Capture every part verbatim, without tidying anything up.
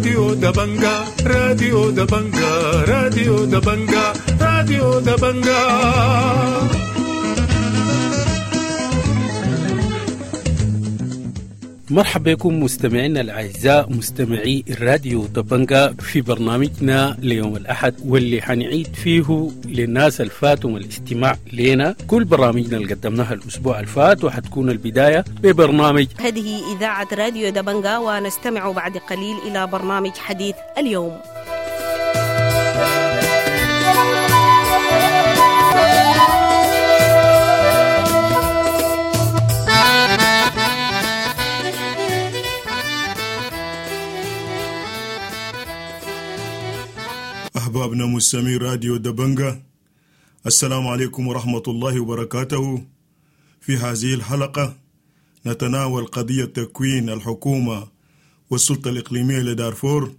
راديو دبنجا، راديو دبنجا، راديو دبنجا، راديو دبنجا. مرحبا بكم مستمعينا الأعزاء مستمعي الراديو دبنجا في برنامجنا ليوم الأحد، واللي حنعيد فيه للناس الفاتهم الاستماع لنا كل برامجنا اللي قدمناها الأسبوع الفات، وحتكون البداية ببرنامج هذه إذاعة راديو دبنجا، ونستمع بعد قليل إلى برنامج حديث اليوم. أحبابنا مستمعي راديو دبنجا، السلام عليكم ورحمة الله وبركاته. في هذه الحلقة نتناول قضية تكوين الحكومة والسلطة الإقليمية لدارفور،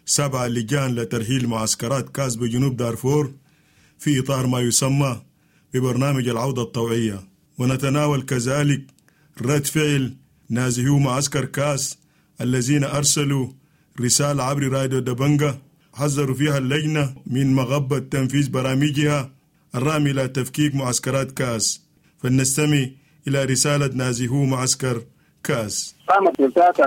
سبع لجان لترحيل معسكرات كاس بجنوب دارفور في إطار ما يسمى ببرنامج العودة الطوعية، ونتناول كذلك رد فعل نازحو معسكر كاس الذين أرسلوا رسالة عبر راديو دبنجا حذروا فيها اللجنة من مغبة تنفيذ برامجها الرامي إلى تفكيك معسكرات كاس. فلنستمع إلى رسالة نازحو معسكر كاس. قامت السلطات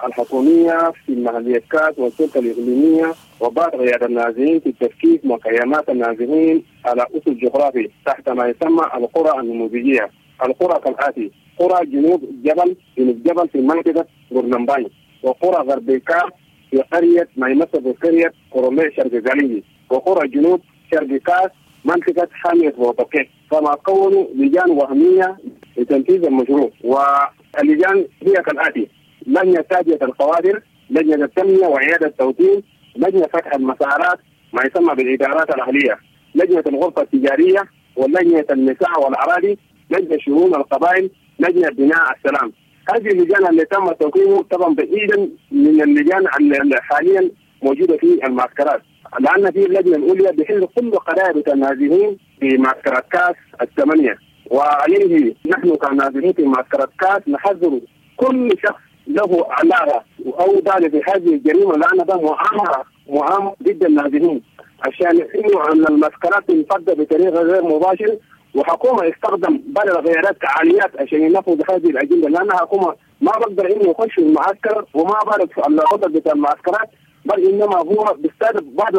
الحكومية في محلية كاس والسلطة الإقليمية وبعض قيادة النازحين في تفكيك مخيمات النازحين على أسس جغرافي تحت ما يسمى القرى النموذجية. القرى كالآتي: قرى جنوب جبل جنوب جبل في منطقة غورلمباي، وقرى غرب كاس في قرية ما يمثل بقرية قرمية شرق زالينجي، وقرى جنوب شرق كاس منطقة حامية وطقي. كما كونوا لجان وهمية لتنفيذ المشروع، واللجان هي كالآتي: لجنة تادية القوادر، لجنة التنمية وعيادة التوطين، لجنة فتح المسارات ما يسمى بالإدارات الأهلية، لجنة الغرفة التجارية، ولجنة النساء والأراضي، لجنة شؤون القبائل، لجنة بناء السلام. هذه اللجان اللي تم توقيعه طبعا بعيدا من اللجان اللي حاليا موجودة في المعسكرات، لان في اللجنة الاولى بحل كل قضايا النازحين في معسكرات كاس الثمانية. وعليه نحن كنازحين في معسكرات كاس نحذر كل شخص له علاقة او دال في هذه الجريمة، لان ده مؤامرة مؤامرة ضد النازحين، عشان انه ان المعسكرات تنفض بطريقة غير مباشرة، وحكومة استخدم بعض الغيارات كعاليات عشان ينفذ هذه الاجندة، لان حكومة ما بقدر انه يخش المعسكر وما بعرف الوضع بتاع المعسكرات، بل انما هو بيستهدف بعض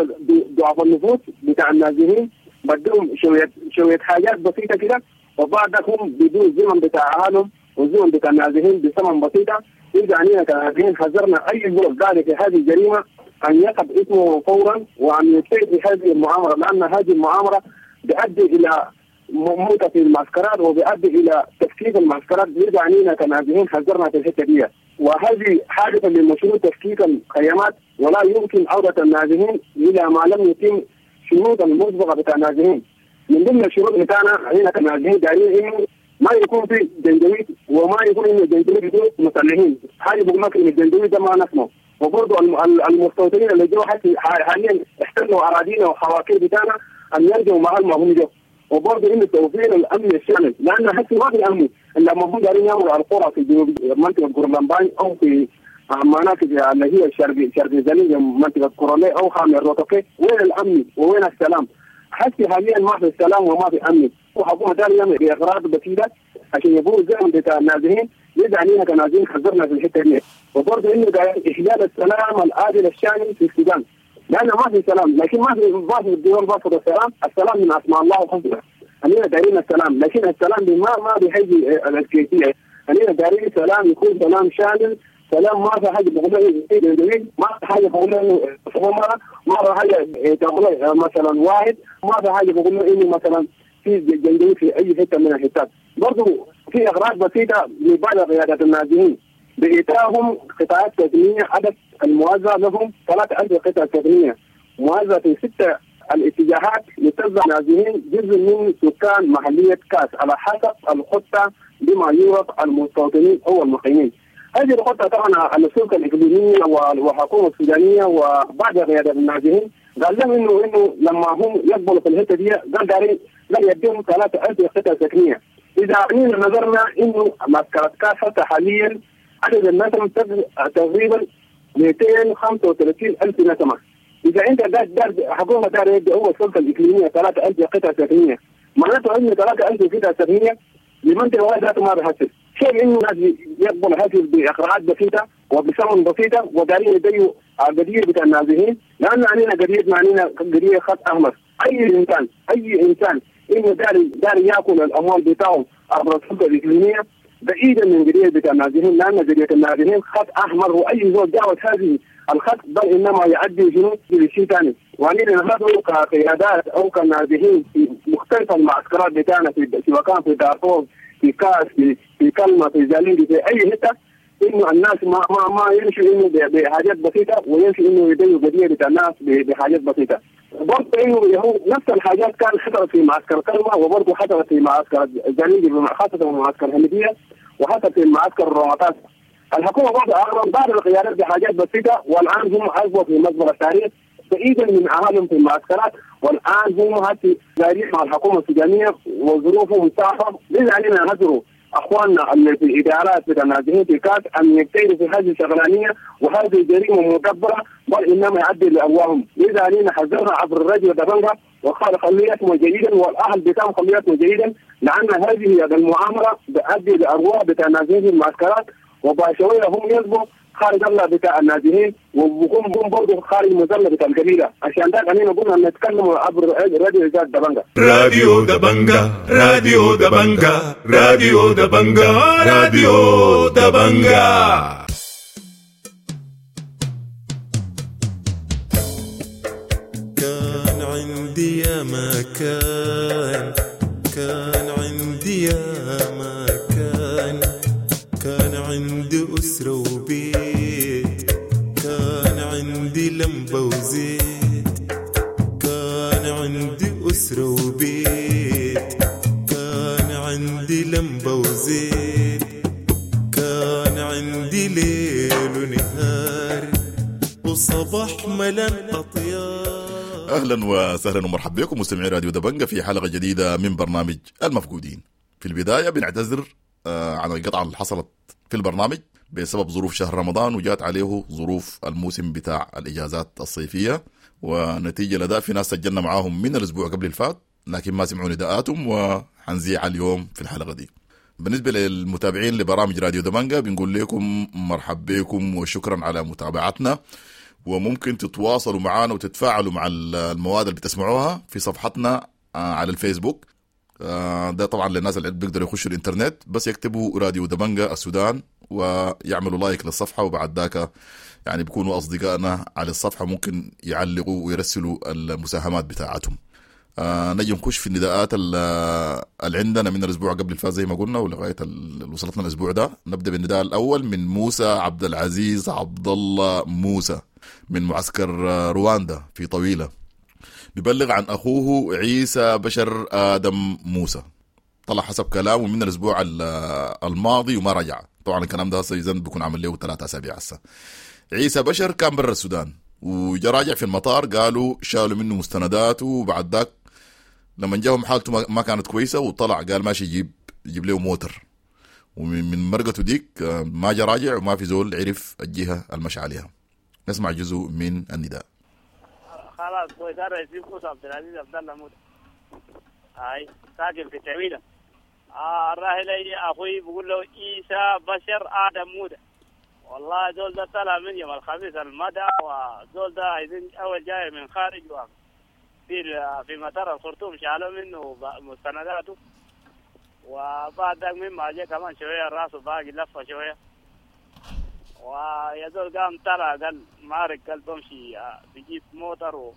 ضعف النفوس بتاع النازحين، بدهم شوية شوية حاجات بسيطة كده، وبعد هم بدون الزمن بتاع اهلهم والزمن بتاع النازحين بثمن بسيطة. اذا علينا كنازحين حذرنا اي زول ذلك في هذه الجريمة ان يقف اسمه فورا وان يبتعد في هذه المؤامرة، لان هذه المؤامرة بتؤدي الى موتة في المعسكرات وبيؤدي الى تفكيك المعسكرات. بيرجع علينا كنازحين حذرنا في الحتة دي، وهذه حادثه لمشروع تفكيك الخيمات، ولا يمكن عوده النازحين الى ما لم يتم شروط المسبقة بتاع النازحين. من ضمن الشروط بتاعنا علينا كنازحين دايرين انه ما يكون في جنجويد، وما يكون انه الجنجويد دول مسلحين، حاجة بقول لك ان الجنجويد ده ما نسمعه. وبرضه المستوطنين اللي جو حاليا احتلوا اراضينا وحواكير بتاعنا ان يرجعوا محل ما هم جو، وبرضه انه توفير الامن الشامل، لان حتى ما في امن لما هم دارين يعملوا على القرى في جنوب منطقة غورلمباي او في مناطق اللي هي الشرق شرق زالينجي منطقة قرمية او حامي الروتوكي، وين الامن وين السلام؟ حتى حاليا ما في السلام وما في امن، وحكومة دارين يعمل باغراض بسيطة عشان يبقوا الزمن بتاع النازحين. يرجع علينا كنازحين حذرنا في الحتة دي، وبرضه انه احلال السلام العادل الشامل في السودان، لأن ما في سلام، لكن ما في ما في الدول رفض السلام، السلام من أسماء الله الحسنى. خلينا دارين السلام، لكن السلام ما ما بيحيي الكيفية، خلينا دارين سلام يكون سلام شامل، سلام ما في حاجة بقولها ما في حاجة بقولها إنه ما في حاجة تقولها مثلا واحد، ما في حاجة بقولها إنه مثلا في جندي في أي حتة من الحتات. برضو في أغراض بسيطة لبعض قيادات النازحين بإعطائهم قطاعات سكنية، عدد الموزع لهم ثلاثة ألف قطعة سكنية موزعة في ستة الاتجاهات لتوزع نازحين جزء من سكان محلية كاس على حسب الخطة بما يوافق المستوطنين أو المقيمين. هذه الخطة طبعا السلطة الإقليمية والحكومة السودانية وبعض قيادات النازحين قال لهم إنه إنه لما هم يقبلوا في الحتة دي قال دارين لا يديهم ثلاثة ألف قطعة سكنية. إذا نظرنا إنه معسكرات كاس حتى حاليا عدد الناس تقريبا مئتين وخمسة وثلاثين ألف نسمة. إذا أنت دار دار حكومة دار يدي هو السلطة الإقليمية ثلاثة ألف قطعة سكنية، معناته إنه ثلاثة ألف قطعة سكنية لمنطقة واحدة ذاته ما بحسب. كيف إنه الناس يقبل هذه بإقراءات بسيطة وبثمن بسيطة ودارين يديوا قضية بتاع النازحين، لأن علينا قضية معنينا قضية خط أحمر. أي إنسان أي إنسان إنه داري داري يأكل الأموال بتاعه عبر السلطة الإقليمية بعيدا من قضية بتاع النازحين، لأن قضية النازحين خط أحمر، وأي زول جاوز هذه الخط بل إنما يؤدي شنو لشيء ثاني. وعلينا نحن كقيادات أو كنازحين في مختلف المعسكرات بتاعنا في سواء كان في دارفور، في كاس، في في كلمة، في زالينجي، في أي حتة، إنه الناس ما ما ما يمشوا إنه بحاجات بسيطة ويمشوا إنه يديوا قضية بتاع الناس بحاجات بسيطة. برضه إنه هو نفس الحاجات كان حصلت في معسكر كلمة، وبرضه حصلت في معسكر زالينجي، خاصة معسكر الهندية، وحصلت في معسكر الرمطات. الحكومة برضه أغرب بعض القيادات بحاجات بسيطة، والآن هم أصبحوا في مزبلة التاريخ بعيدا من أهالهم في المعسكرات، والآن هم هسه جارين مع الحكومة السودانية وظروفهم صعبة. لذا علينا نذروا أخواننا اللي في الإدارات بتاع النازحين في كاس أن يجتهدوا في هذه الشغلانية، وهذه جريمة مدبرة بل إنما يؤدي لأرواحهم. لذا علينا حذرنا عبر الراديو دبنجة وقال خليتهم جيدا، والأهل بتاعهم خليتهم جيدا، لأن هذه المؤامرة بتؤدي لأرواح بتاع النازحين في المعسكرات، وبعد شوية هم يصبحوا خارج الله بتاع النازحين، وبكون برضه خارج مظلة بتاع القبيلة. عشان ده خلينا قلنا نتكلم عبر راديو دبنجة. راديو دبنجة، راديو دبنجة، راديو دبنجة، راديو دبنجة. كان عندي يا مكان، كان عندي يا مكان، كان عندي أسرة وبيت، كان عندي لمبة وزيت، كان عندي أسرة وبيت، كان عندي لمبة وزيت، كان عندي ليل ونهار وصباح ملان أطيار. أهلا وسهلا ومرحبا بكم مستمعي راديو دبنجة في حلقة جديدة من برنامج المفقودين. في البداية بنعتذر عن القطعة اللي حصلت في البرنامج بسبب ظروف شهر رمضان، وجات عليه ظروف الموسم بتاع الإجازات الصيفية، ونتيجة لذا في ناس سجلنا معاهم من الأسبوع قبل الفات لكن ما سمعوا نداءاتهم، وحنزيع اليوم في الحلقة دي. بالنسبة للمتابعين لبرامج راديو دبنجة بنقول لكم مرحب بكم وشكرا على متابعتنا، وممكن تتواصلوا معنا وتتفاعلوا مع المواد اللي بتسمعوها في صفحتنا على الفيسبوك. ده طبعا للناس اللي بيقدروا يخشوا الانترنت، بس يكتبوا راديو دبنجة السودان ويعملوا like للصفحة، وبعد ذاك يعني بيكونوا أصدقائنا على الصفحة، ممكن يعلقوا ويرسلوا المساهمات بتاعتهم. آه نجي نخش في النداءات اللي عندنا من الأسبوع قبل الفاز زي ما قلنا ولغاية اللي وصلتنا الأسبوع ده. نبدأ بالنداء الأول من موسى عبد العزيز عبد الله موسى من معسكر رواندا في طويلة، بيبلغ عن أخوه عيسى بشر آدم موسى، طلع حسب كلامه من الأسبوع الماضي وما رجع. طبعا الكلام ده هسه بيكون عمل له ثلاثة أسابيع هسه. عيسى بشر كان برا السودان وجا راجع في المطار، قالوا شالوا منه مستنداته، وبعد ذاك لما جاهم حالته ما كانت كويسة وطلع قال ماشي يجيب يجيب له موتر، ومن مرقته ديك ما جا راجع وما في زول عرف الجهة المشى عليها. نسمع جزء من النداء. خلاص كويس. انا اسمي موسى عبد العزيز عبد الله موسى، هاي ساكن في تعويله. آه الراحل اخوي بقول له عيسى بشر ادم موسى. والله زول ده طلع من يوم الخميس المدى، وزول ده عايزين اول جاي من خارج في في مطار الخرطوم شالوا منه مستنداته، وبعد ذاك مما جاء كمان شويه راسه باقي لفه شويه، ويا زول قام طلع قال مارك قال بمشي بجيب موتر و...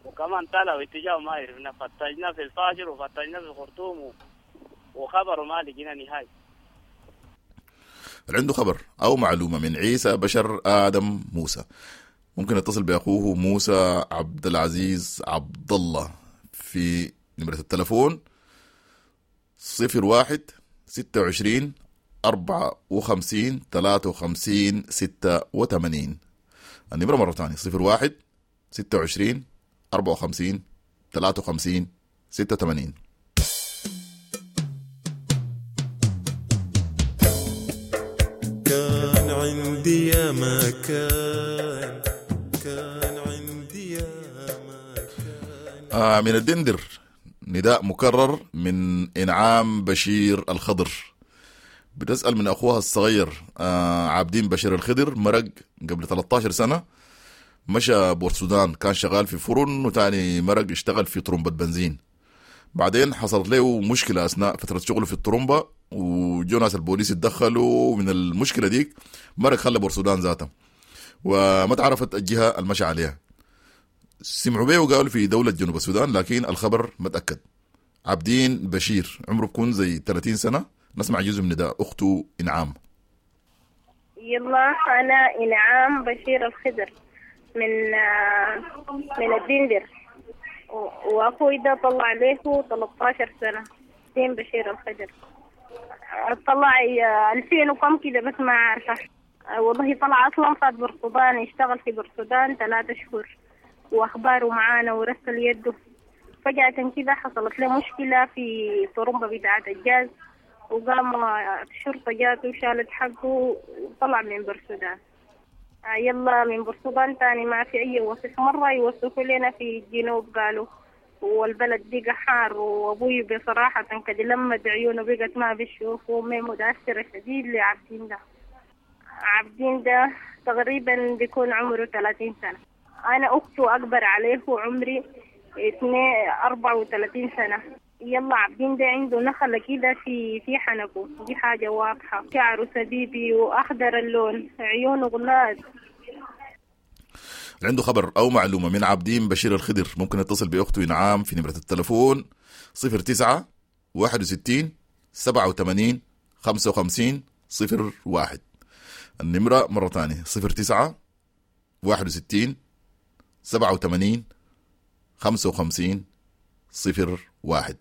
وكمان طلع واتجاهه ما عرفنا، فتشنا في الفاجر وفتشنا في الخرطوم و... وخبره ما لقينا نهائي. اللي عنده خبر أو معلومة من عيسى بشر آدم موسى ممكن يتصل بأخوه موسى عبد العزيز عبد الله في نمرة التلفون صفر واحد ستة وعشرين أربعة وخمسين ثلاثة وخمسين ستة وثمانين. النمرة مرة ثانية صفر واحد ستة وعشرين أربعة وخمسين ثلاثة وخمسين ستة وثمانين. كان عندي يا ما كان، كان عندي يا ما كان. آه من الدندر نداء مكرر من إنعام بشير الخضر، بتسأل من أخوها الصغير آه عابدين بشير الخضر، مرق قبل ثلاثة عشر سنة، مشى بورسودان، كان شغال في فرن وتاني مرق اشتغل في طرمبة بنزين. بعدين حصلت له مشكلة أثناء فترة شغله في الطرمبة، وجو ناس البوليس اتدخلوا من المشكلة ديك، مرق خلى بورسودان ذاته وما تعرفت الجهة المشى عليها. سمعوا بيه وقالوا في دولة جنوب السودان، لكن الخبر ما تأكد. عابدين بشير عمره بكون زي ثلاثين سنة. نسمع جزء من نداء أخته إنعام. يلا أنا إنعام بشير الخضر من من الدندر، وأخوي ده طلع له ثلاثة عشر سنة، دين بشير الخضر، طلع ألفين وكم كده بس ما عارفة والله. طلع أصلا فات برسودان، اشتغل في برسودان ثلاثة شهور وأخباره معانا ورسل يده. فجأة كده حصلت له مشكلة في طرمبة بتاعة الجاز، وقام الشرطة جاته وشالت حقه وطلع من برسودان. يلا من برسودان تاني ما في أي وصف، مرة يوصفوا لنا في الجنوب قالوا والبلد بقى حار، وأبوي بصراحة كده لما عيونه بقت ما بيشوف، وأمي متأثرة شديد لعبدين ده. عبدين ده تقريبا بيكون عمره ثلاثين سنة، أنا أخته أكبر عليه وعمري اثنين أربعة وثلاثين سنة. يلا عبدين ده عنده نخلة كده في في حنكه، دي حاجة واضحة، شعره سبيبي وأخضر اللون، عيونه غلاد. عنده خبر أو معلومة من عابدين بشير الخضر ممكن يتصل بأخته إنعام في نمرة التلفون صفر تسعة واحد وستين سبعة وثمانين خمسة وخمسين صفر واحد. النمرة مرة تانية صفر تسعة واحد وستين سبعة وثمانين خمسة وخمسين صفر واحد.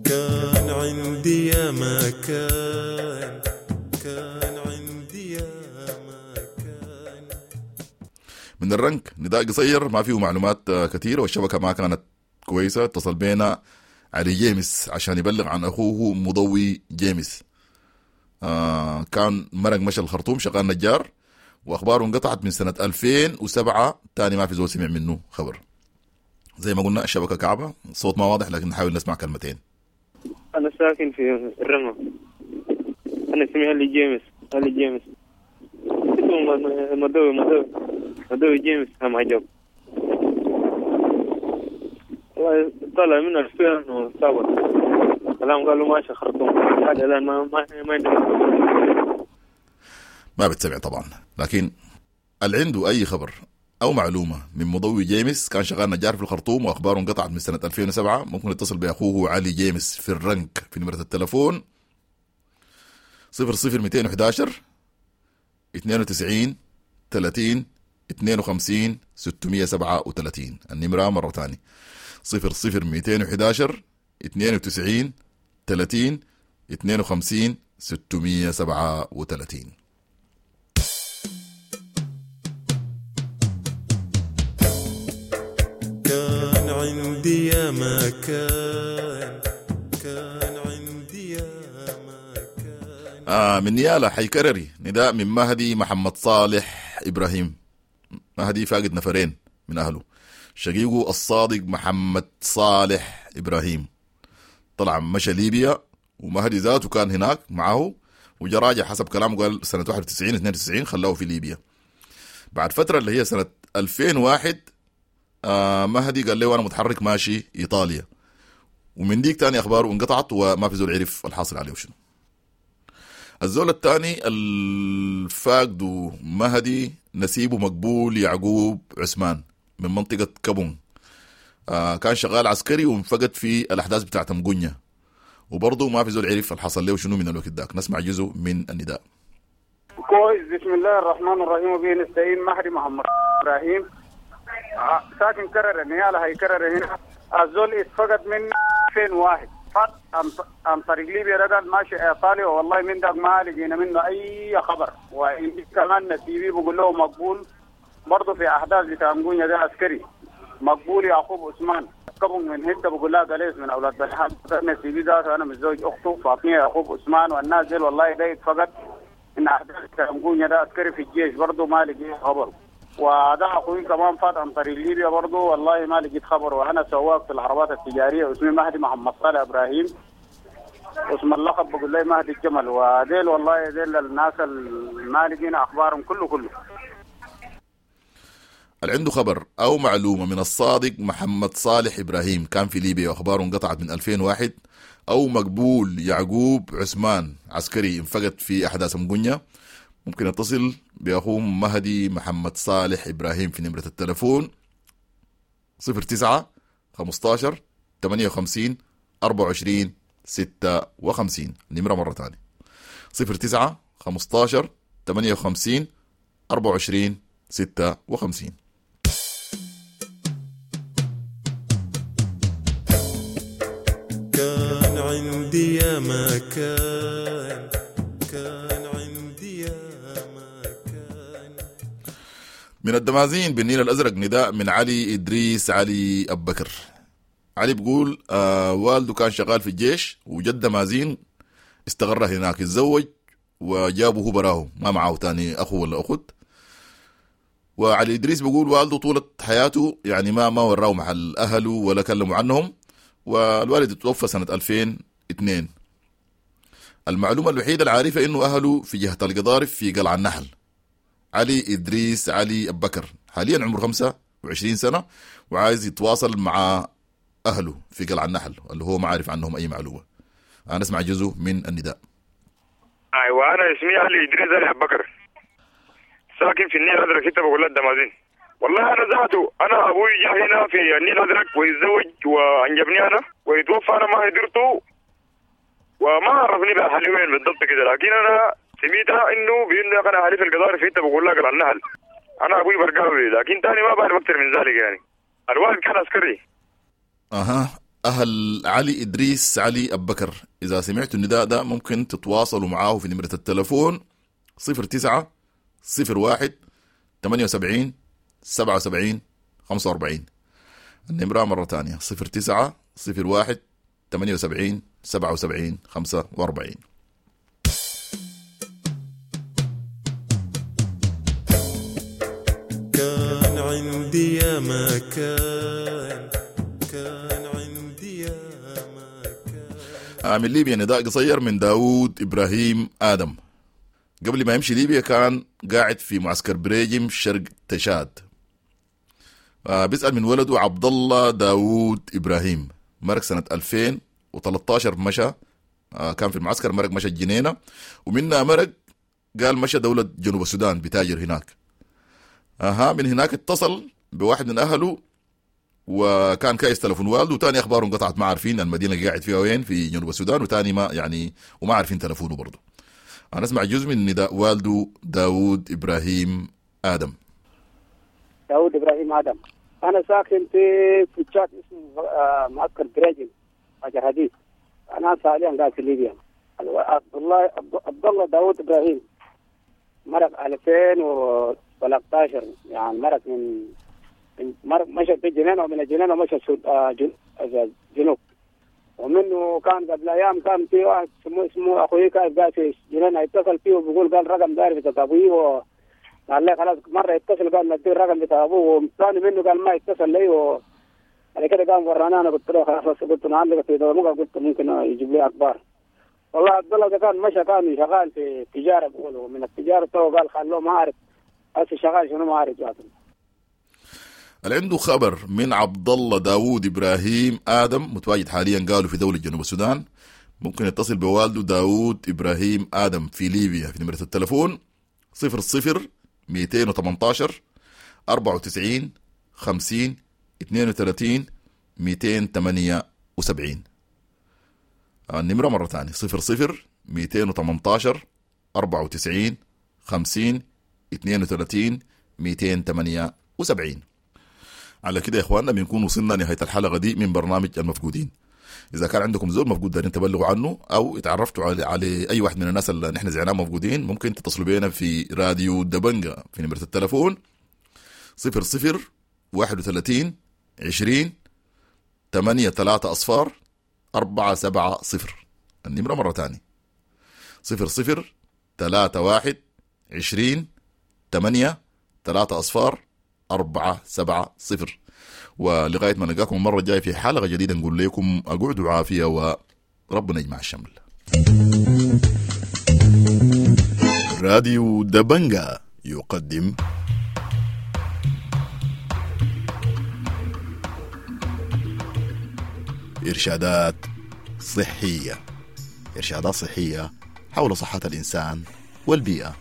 كان عندي يا ما كان، كان عندي يا ما كان. من الرنك نداء قصير ما فيه معلومات كثيرة والشبكة ما كانت كويسة. اتصل بينا علي جيمس عشان يبلغ عن أخوه مضوي جيمس. آه كان مرق مشى الخرطوم شغال نجار، وأخباره انقطعت من سنة ألفين وسبعة، تاني ما في زول سمع منه خبر. زي ما قلنا الشبكة كعبة، الصوت ما واضح لكن نحاول نسمع كلمتين. أنا ساكن في الرمى، أنا اسمي علي جيمس، علي جيمس اسمه مدوي مدوي مدوي جيمس. هم عجب والله، طلع منه ألفين وسبعة كلام قالوا ماشي خرطوم، حاجة الآن ما ما ما عندنا ما بتسمع طبعا. لكن اللي عنده أي خبر أو معلومة من مضوي جيمس، كان شغال نجار في الخرطوم وأخباره انقطعت من سنة ألفين وسبعة، ممكن يتصل بأخوه علي جيمس في الرنك في نمرة التلفون صفر صفر مئتين وأحد عشر اثنين وتسعين ثلاثين اثنين وخمسين ستمية سبعة وثلاثين. النمرة مرة تانية صفر صفر مئتين وأحد عشر اثنين وتسعين ثلاثين اثنين وخمسين ستمية سبعة وثلاثين. كان عندي يا ما كان، كان عندي يا ما كان. آه من نيالا حيكرري نداء من مهدي محمد صالح إبراهيم. مهدي فاقد نفرين من أهله، شقيقه الصادق محمد صالح إبراهيم طلع مشى ليبيا، ومهدي ذاته كان هناك معه وجا راجع حسب كلامه، قال سنة واحد وتسعين اثنين وتسعين خلاه في ليبيا. بعد فترة اللي هي سنة ألفين وواحد آه مهدي قال له أنا متحرك ماشي إيطاليا، ومن ديك تاني أخباره انقطعت وما في زول عرف الحاصل عليه وشنو. الزول الثاني الفاقد مهدي نسيبه مقبول يعقوب عثمان من منطقة كابون، آه كان شغال عسكري وانفقد في الأحداث بتاعت مقنية، وبرضه ما في زول عرف الحصل له شنو من الوقت داك. نسمع جزء من النداء. كويس. بسم الله الرحمن الرحيم وبه نستعين. مهدي محمد إبراهيم ساكن كرر نيالا هي كرر هنا. الزول اتفقد من ألفين وواحد فات عن طريق ليبيا رجل ماشي ايطاليا، والله من داك ما لقينا منه اي خبر. وإن كمان نسيبي بقول له مقبول برضه في احداث بتاع مقونيا ده عسكري مقبول يعقوب عثمان. كبن من هنت بقول لها قليس من اولاد بلحان نسيبي ذاته انا متزوج اخته فاطمة يعقوب عثمان والناس ديل والله ده اتفقد ان احداث مقونيا ده عسكري في الجيش برضه ما لقيت خبره، وده اخوي كمان فات عن طريق ليبيا برضه والله ما لقيت خبره. وانا سواق في العربات التجارية اسمي مهدي محمد صالح ابراهيم، اسم اللقب بقول لي مهدي الجمل. وديل والله ديل الناس اللي ما لقينا اخبارهم كله كله. اللي عنده خبر أو معلومة من الصادق محمد صالح إبراهيم كان في ليبيا وأخباره انقطعت من ألفين وواحد، أو مقبول يعقوب عثمان عسكري انفقد في أحداث مقنية، ممكن يتصل بأخوه مهدي محمد صالح إبراهيم في نمرة التلفون صفر تسعة خمستاشر ثمانية وخمسين أربعة وعشرين ستة وخمسين. النمرة مرة تانية صفر تسعة خمستاشر ثمانية وخمسين أربعة وعشرين ستة وخمسين. كان عندي يا ما كان، كان عندي يا ما كان. من الدمازين بالنيل الأزرق نداء من علي إدريس علي أبو بكر. علي بيقول آه والده كان شغال في الجيش وجد دمازين استقر هناك، اتزوج وجابه هو براه ما معه تاني أخو ولا أخت. وعلي إدريس بيقول والده طولة حياته يعني ما ما وراه محل أهله ولا كلموا عنهم، والوالد توفى سنة ألفين واثنين. المعلومة الوحيدة العارفة إنه أهله في جهة القضارف في قلعة النحل. علي إدريس علي أبو بكر حاليا عمره خمسة وعشرين سنة وعايز يتواصل مع أهله في قلعة النحل اللي هو ما عارف عنهم أي معلومة. أنا أسمع جزء من النداء. أيوة أنا اسمي علي إدريس علي أبو بكر، ساكن في النيل الأزرق ستة بقول الدمازين. والله أنا ذاته أنا أبوي جاء هنا في النيل الأزرق ويتزوج وأنجبني أنا ويتوفى، أنا ما قدرته وما عرفني بأهلي وين بالضبط كده، لكن أنا سميتها إنه بإنه أنا أهلي في القضارف في بقول لك على النهل. أنا أبوي برقاوي لكن تاني ما بعرف أكثر من ذلك يعني. الوالد كان عسكري. أها أهل علي إدريس علي أبو بكر إذا سمعتوا النداء ده ممكن تتواصلوا معاه في نمرة التلفون صفر تسعة صفر واحد ثمانية وسبعين سبعة وسبعين خمسة وأربعين. النمرة مرة تانية صفر تسعة صفر واحد ثمانية وسبعين سبعة وسبعين خمسة وأربعين. كان عندي يا ما كان، كان عندي يا ما كان. من ليبيا نداء قصير من داود إبراهيم آدم. قبل ما يمشي ليبيا كان قاعد في معسكر بريجم شرق تشاد. آه بيسأل من ولده عبد الله داود إبراهيم، مرق سنة ألفين وثلاثة عشر مشى، آه كان في المعسكر، مرق مشى الجنينة ومنها مرق قال مشى دولة جنوب السودان بتاجر هناك. اها من هناك اتصل بواحد من أهله وكان كايس تلفون والده، وتاني أخباره انقطعت، ما عارفين المدينة اللي قاعد فيها وين في جنوب السودان، وتاني ما يعني وما عارفين تلفونه برضه. أنا أسمع جزء من نداء والده داود إبراهيم آدم. داود إبراهيم آدم، أنا ساكن في في تشاد اسمه معسكر بريجن حجر حديد. أنا حاليا قاعد في ليبيا. عبد الله عبد الله داود إبراهيم مرق ألفين وثلاثة عشر، يعني مرق من مرق مشى في الجنينة ومن الجنينة مشى الجنوب. ومنه كان قبل ايام كان في واحد اسمه اسمه اخوي كان قاعد في جنينة، يتصل فيه وبيقول قال رقم داير بتاع ابوي، وقال لي خلاص مرة يتصل قال ندي الرقم بتاع ابوه، وثاني منه قال ما يتصل لي، وبعد كده قام ورانا. انا قلت له خلاص، قلت له عندك في دورمك، قلت ممكن يجيب لي اخبار. والله عبد الله ده كان مشى كان شغال في التجارة بيقولوا، من التجارة تو قال خلوه ما اعرف هسه شغال شنو ما اعرف ذاته. اللي عنده خبر من عبد الله داوود إبراهيم آدم متواجد حاليا قالوا في دولة جنوب السودان، ممكن يتصل بوالده داوود إبراهيم آدم في ليبيا في نمرة التلفون صفر صفر مئتين وثمانية عشر أربعة وتسعين خمسين اثنين وثلاثين مئتين وثمانية وسبعين. النمرة مرة ثانية صفر صفر مئتين وثمانية عشر أربعة وتسعين خمسين اثنين وثلاثين مئتين وثمانية وسبعين. على كده يا اخواننا بنكون وصلنا نهاية الحلقة دي من برنامج المفقودين. اذا كان عندكم زول مفقود دارين تبلغوا عنه او اتعرفتوا على على اي واحد من الناس اللي نحن زعناه مفقودين، ممكن تتصلوا بينا في راديو دبنجة في نمره التلفون صفر صفر واحد وثلاثين عشرين تمانية تلاتة أصفار أربعة سبعة صفر. النمرة مرة تانية صفر صفر تلاتة واحد عشرين تمانية تلاتة أصفار أربعة سبعة صفر. ولغاية ما نلقاكم المرة الجاية في حلقة جديدة نقول لكم أقعدوا عافية وربنا يجمع الشمل. راديو دبنجا يقدم إرشادات صحية، إرشادات صحية حول صحة الإنسان والبيئة.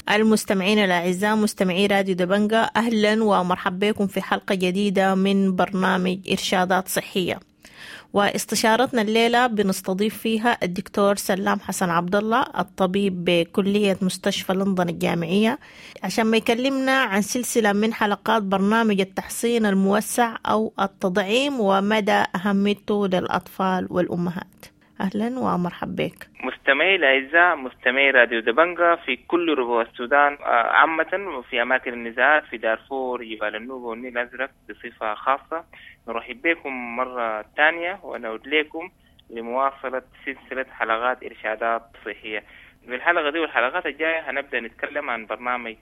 المستمعين الأعزاء مستمعي راديو دبنجا، أهلا ومرحبا بكم في حلقة جديدة من برنامج إرشادات صحية. واستشارتنا الليلة بنستضيف فيها الدكتور سلام حسن عبد الله، الطبيب بكلية مستشفى لندن الجامعية، عشان ما يكلمنا عن سلسلة من حلقات برنامج التحصين الموسع أو التطعيم ومدى أهميته للأطفال والأمهات. أهلا ومرحبا بك. مستمعي الأعزاء مستمعي راديو دبنجا في كل ربوع السودان عامة وفي أماكن النزاعات في دارفور، جبال النوبة والنيل الأزرق بصفة خاصة، نرحب بكم مرة ثانية ونعود لكم لمواصلة سلسلة حلقات إرشادات صحية. في الحلقة دي والحلقات الجاية هنبدأ نتكلم عن برنامج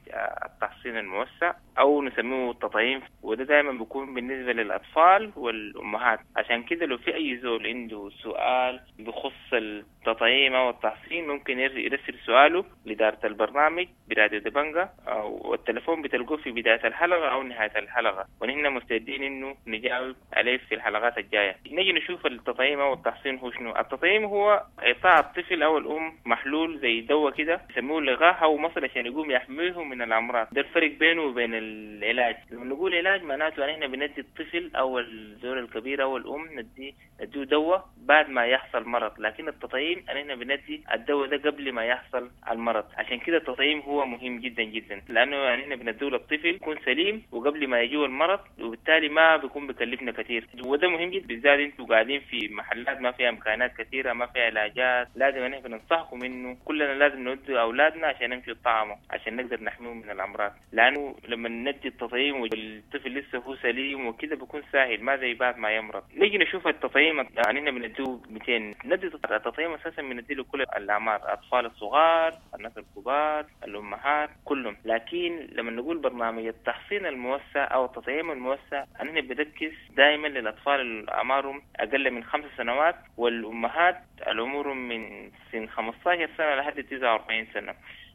التحصين الموسع أو نسميه التطعيم، وده دائما بيكون بالنسبة للأطفال والأمهات. عشان كده لو في أي زول عنده سؤال بخص التطعيم أو التحصين ممكن يرسل سؤاله لإدارة البرنامج براديو دبنجا، والتلفون بتلقوه في بداية الحلقة أو نهاية الحلقة، ونحن مستعدين إنه نجاوب عليه في الحلقات الجاية. نيجي نشوف التطعيم أو التحصين هو شنو. التطعيم هو إعطاء الطفل أو الأم محلول زي دواء كده يسموه لقاح أو مصل عشان يقوم يحميه من الأمراض. ده الفرق بينه وبين العلاج. لما نقول علاج معناته ان احنا بندي الطفل او الزول الكبير او الام ندي نديه دواء بعد ما يحصل مرض، لكن التطعيم ان احنا بندي الدواء ده قبل ما يحصل المرض. عشان كده التطعيم هو مهم جدا جدا، لانه يعني احنا بنديه للطفل يكون سليم وقبل ما يجيه المرض، وبالتالي ما بيكون بكلفنا كثير. وده مهم جدا بالذات انتوا قاعدين في محلات ما فيها امكانات كثيره، ما فيها علاجات. لازم ان احنا بننصحكم انه كلنا لازم نودي اولادنا عشان نمشي يطعموا عشان نقدر نحميهم من الامراض، لانه لما ندي التطعيم والطفل لسه هو سليم وكده بيكون سهل، ما زي بعد ما يمرض. نيجي نشوف التطعيم، يعني احنا بنديه مئتين. ندي التطعيم اساسا بنديه لكل الاعمار، الاطفال الصغار، الناس الكبار، الامهات، كلهم. لكن لما نقول برنامج التحصين الموسع او التطعيم الموسع احنا بنركز دائما للاطفال اللي اعمارهم اقل من خمس سنوات والامهات العمر من سن خمسة عشر سنه لحد تسعة وأربعين سنه.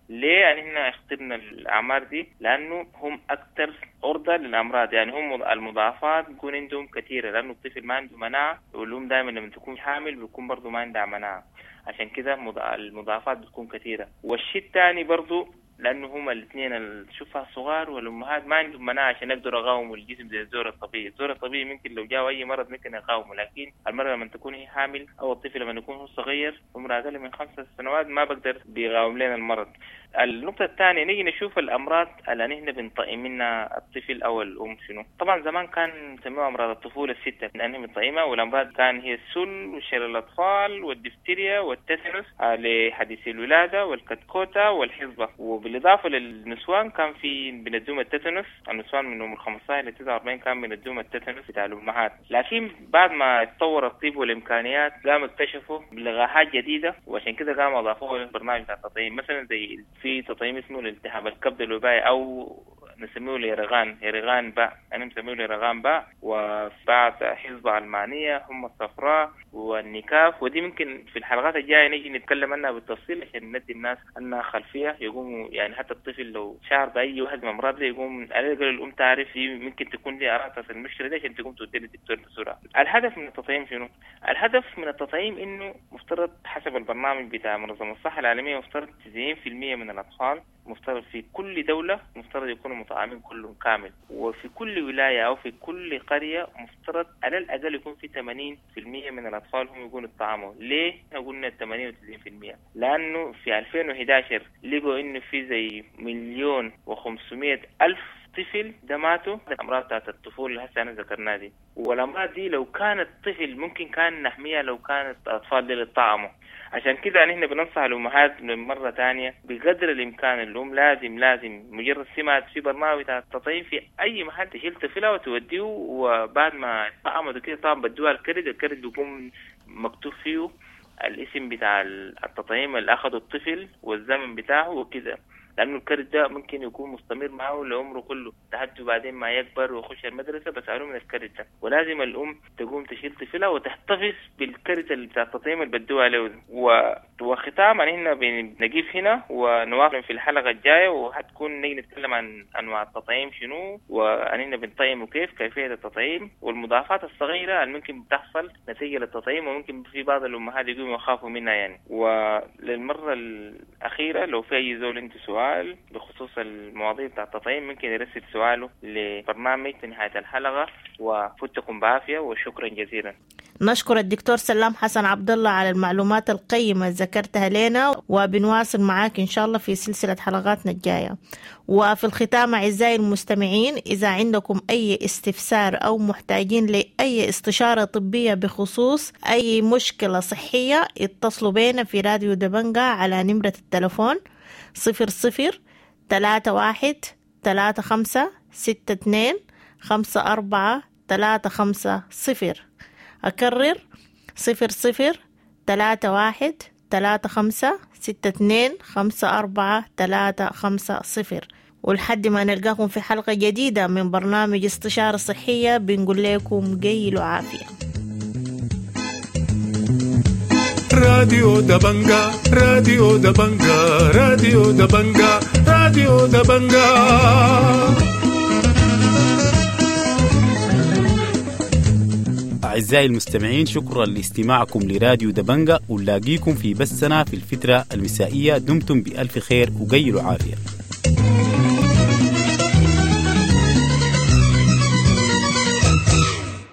ليه يعني احنا اخترنا الاعمار دي؟ لانه هم اكثر عرضه للامراض، يعني هم المضاعفات بيكون عندهم كثيره، لانه الطفل ما عنده مناعه، والام دائما لما تكون حامل بيكون برضه ما عندها مناعه، عشان كده المضاعفات بتكون كثيره. والشيء الثاني برضه لانه هما الاثنين الشفع الصغار والامهات ما عندهم مناعه عشان يقدروا يقاوموا الجسم زي الزور الطبيعي. الزور الطبيعي ممكن لو جاء اي مرض ممكن يقاومه، لكن المرأة لما تكون هي حامل او الطفل لما يكون هو صغير عمره اقل من خمسة سنوات ما بقدر بيقاوم لنا المرض. النقطة الثانية نيجي نشوف الأمراض اللي نحن بنطعم منها الطفل أو الأم شنو. طبعا زمان كان نسميها أمراض الطفولة الستة لأنهم بنطعمها، والأمراض كان هي السل وشلل الأطفال والدفتيريا والتتنس لحديث الولادة والكتكوتة والحصبة. وبالإضافة للنسوان كان في بندوم التتنس، النسوان من عمر خمسة عشر ل تسعة وأربعين كان بندوم التتنس بتاع الأمهات. لكن بعد ما اتطور الطب والإمكانيات قام اكتشفوا لقاحات جديدة، وعشان كده قاموا أضافوها للبرنامج بتاع التطعيم. مثلا زي في تطعيم اسمه الالتهاب الكبد الوبائي او نسميه اليرغان، يرغان باء، انا مسميه اليرغان باء، وبعض حزب المانيه هم الصفراء والنكاف. ودي ممكن في الحلقات الجايه نيجي نتكلم عنها بالتفصيل عشان ندي الناس انها خلفيه، يقوموا يعني حتى الطفل لو شعر باي واحد من الامراض دي يقوم على الاقل الام تعرف دي ممكن تكون دي اعراض المشكله دي عشان تقوم تودي للدكتور بسرعه. الهدف من التطعيم شنو؟ الهدف من التطعيم انه مفترض حسب البرنامج بتاع منظمه الصحه العالميه مفترض تسعين بالمئة من الاطفال مفترض في كل دولة مفترض يكونوا مطعمين كلهم كامل، وفي كل ولاية أو في كل قرية مفترض على الأقل يكون في ثمانين بالمئة من الأطفال هم يكونوا اتطعموا. ليه قلنا ثمانين وتسعين بالمئة؟ لأنه في ألفين وإحدى عشر لقوا إنه في زي مليون وخمسمائة ألف طفل ده ماتوا الأمراض بتاعت الطفولة اللي هسه أنا ذكرناها دي. والأمراض دي لو كانت طفل ممكن كان نحميها لو كانت الأطفال دي طعموا. عشان كده نحن بننصح الأمهات من مرة تانية بقدر الإمكان، الأم لازم لازم مجرد سمعت في برنامج بتاع التطعيم في أي محل تشيل طفلها وتوديه، وبعد ما طعموا كده طبعا بدوها الكرد، الكرد بيكون مكتوب فيه الاسم بتاع التطعيم اللي أخده الطفل والزمن بتاعه وكده، لأنه الكرد ده ممكن يكون مستمر معه لعمره كله لحد بعدين ما يكبر ويخش المدرسة بسألوه من الكرد ده. ولازم الأم تقوم تشيل طفلها وتحتفظ بالكرت اللي بتاع التطعيم اللي بدوها له. و... وختاما هنا بنقيف هنا ونواصل في الحلقة الجاية، وحتكون نيجي نتكلم عن أنواع التطعيم شنو، وأننا بنطعم وكيف كيفية التطعيم والمضاعفات الصغيرة اللي ممكن بتحصل نتيجة للتطعيم، وممكن في بعض الأمهات يقوموا يخافوا منها يعني. وللمرة الأخيرة لو في أي زول عنده سؤال بخصوص المواضيع بتاع التطعيم ممكن يرسل سؤاله لبرنامج في نهاية الحلقة. وفتكم بعافية وشكرا جزيلا. نشكر الدكتور سلام حسن عبد الله على المعلومات القيمة ذكرتها لنا، وبنواصل معاك إن شاء الله في سلسلة حلقاتنا الجاية. وفي الختام أعزائي المستمعين، إذا عندكم أي استفسار أو محتاجين لأي استشارة طبية بخصوص أي مشكلة صحية، اتصلوا بينا في راديو دبنجا على نمرة التلفون صفر صفر ثلاثة واحد ثلاثة خمسة ستة اثنين خمسة أربعة ثلاثة خمسة صفر. أكرر صفر صفر ثلاثة واحد ثلاثة خمسة ستة اثنين خمسة أربعة ثلاثة خمسة صفر. ولحد ما نلقاكم في حلقة جديدة من برنامج استشارة صحية، بنقول لكم قيلوا عافية. راديو دبنجا، راديو دبنجا، راديو دبنجا، راديو دبنجا. أعزائي المستمعين، شكرا لاستماعكم لراديو دبنجا، ونلاقيكم في بثنا في الفترة المسائية. دمتم بألف خير وقيلوا عافية.